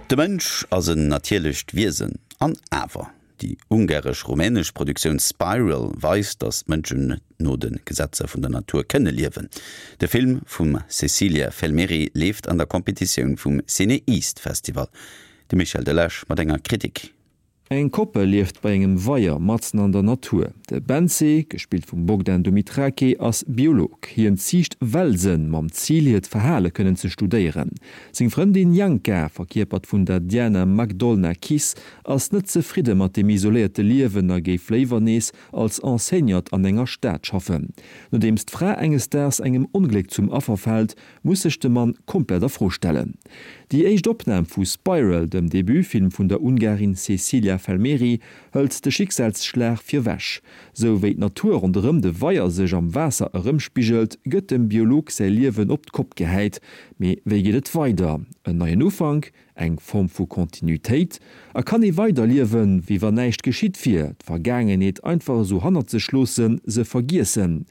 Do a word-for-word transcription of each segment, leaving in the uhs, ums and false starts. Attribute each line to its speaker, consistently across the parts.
Speaker 1: De Mënsch ass en natierlecht Wiesen an awer. Déi ungaresch-rumänesch Produktioun Spiral weist, datt Mënschen no de Gesetzer vun der Natur kënne liewen. De Film vum Cecilia Felmeri leeft an der Competitioun vum CinEast Festival. De Michel Delage mat enger Kritik.
Speaker 2: Eng Koppel lieft bei engem Weier matzen an der Natur. De Bence, gespillt vum Bogdan Dumitrache, ass Biolog. Hien ziicht Welsen mam Zil hiert Verhale kënnen ze studéieren. Seng Frëndin Janka, verkierpert vun der Diana Magdolna Kiss, ass net zefridde mat dem isoléierte Liewen a géif léiwer nees als Enseignante an enger Stad schaffen. Nodeems d'Fra enges Daags engem Ongléck zum Affer fält, muss sech de Mann komplett a Fro stellen. Déi éischt Opnam vu Spiral, dem Debutfilm vun der Ungarin Cecilia Felmeri, hëlt de Schicksalsschlag virewech. Sou wéi d'Natur ronderëm de Weier sech am Waasser erëmspigelt, gëtt dem Biolog säi Liewen op d'Kopp gehäit. Mee wéi geet et weider? En neien Ufank, eng Form vu Kontinuitéit? A kann ee weiderliewen, wéi wann näischt geschitt wier, d'Vergaangenheet einfach esou hannert sech loossen, se vergiessen?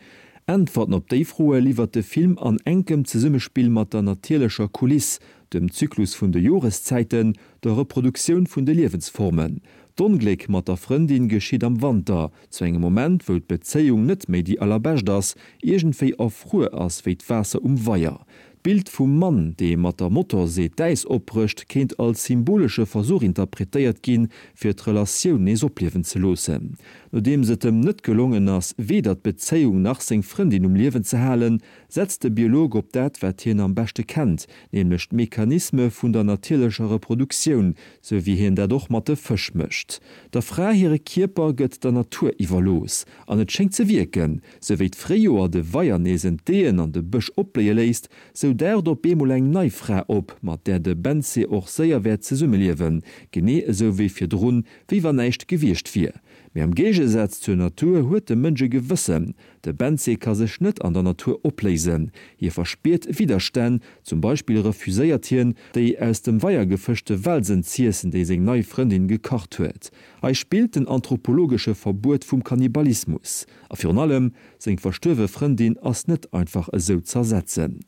Speaker 2: Äntwerten op déi Froe liwwert de Film an enkem Zesummespill mat der natierlecher Kuliss, dem Zyklus vun de Joreszäiten, der Reproduktioun vun de Liewensformen. D'Ongléck mat der Frëndin geschitt am Wanter, zu engem Moment, wou d'Bezéiung net méi déi allerbescht ass, iergendwéi erfruer ass wéi d'Waasser um Weier. D'Bild vum Mann, dee mat der Motorsee d'Äis opbrécht, kéint als symbolesche Versuch interpretéiert ginn, fir d'Relatioun nees opliewen ze loossen. Nodeems et em net gelongen ass, weder d'Bezéiung nach seng Frëndin um Liewen ze halen, setzt de Biolog op dat, wat hien am beschte kennt, nämlech d'Mechanisme vun der natierlecher Reproduktioun, sou wéi hien dat och mat de Fësch mécht. Der Fra hire Kierper gëtt der Natur iwwerlooss, an et schéngt ze wierken. Sou wéi d'Fréijoer de Weier nees entdeeën an de Bësch opbléie léisst, sou daucht op eemol eng nei Fra op, mat där de Bence och séier wäert zesummeliewen, genee esou wéi virdrun, wéi wann näischt gewiescht wier. Mee am Géigesaz zur Natur huet de Mënsch e Gewëssen. De Bence ka sech net an der Natur opléisen, hie verspiert Widderstänn, zum Beispill refuséiert hien, déi aus dem Weier gefëschte Welsen z'iessen, déi seng nei Frëndin gekacht huet. Hei spillt den anthropologesche Verbuet vum Kannibalismus. A virun allem, seng verstuerwe Frëndin ass net einfach esou z'ersetzen.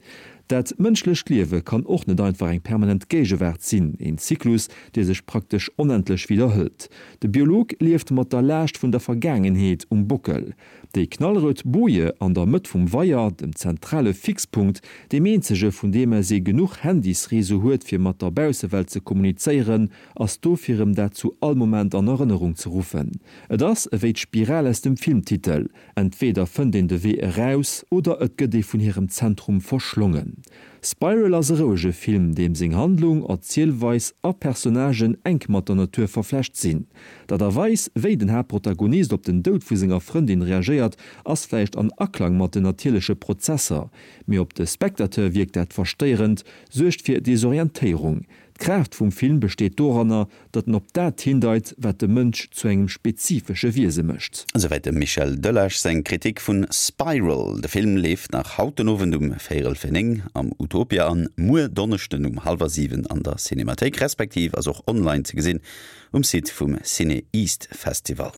Speaker 2: Dat mënschlecht Liewe kann och net einfach eng permanent Géigewaart sinn, een Zyklus, dee sech praktesch onendlech widderhëlt. De Biolog lieft mat der Laascht vun der Vergaangenheet um Bockel. Déi knallrout Boje an der Mëtt vum Weier, dem zentrale Fixpunkt, deem eenzege vun deem aus ee genuch Handysreseau huet fir mat der Baussewelt ze kommunizéieren, ass do fir em dat zu all Moment an Erënnerung ze ruffen. Et ass ewéi d'Spiral aus dem Filmtitel, entweder fënnt een de Wee eraus oder et gëtt ee vun hirem Zentrum verschlongen. Spiral ass e rouege Film, deem seng Handlung, Erzielweis a Personnagen enk mat der Natur verflecht sinn. D'Aart a Weis, wéi den Haaptprotagonist op den Doud vu senger Frëndin reagéiert, ass vläicht an Aklang mat den natierleche Prozesser, mee op de Spectateur wierkt dat verstéierend, suergt fir Desorientéierung. D'Kraaft vum Film besteet doranner, datt en op dat hindeit, wat de Mënsch zu engem spezifesche Wiese mécht.
Speaker 1: Esouwäit dem Michel Delage seng Kritik vun Spiral. De Film leeft nach haut den Owend um véierel vir néng am Utopia an muer Donneschden um hallwer siwen an der Cinemathéik, respektiv ass och online ze gesinn um Site vum CinEast Festival.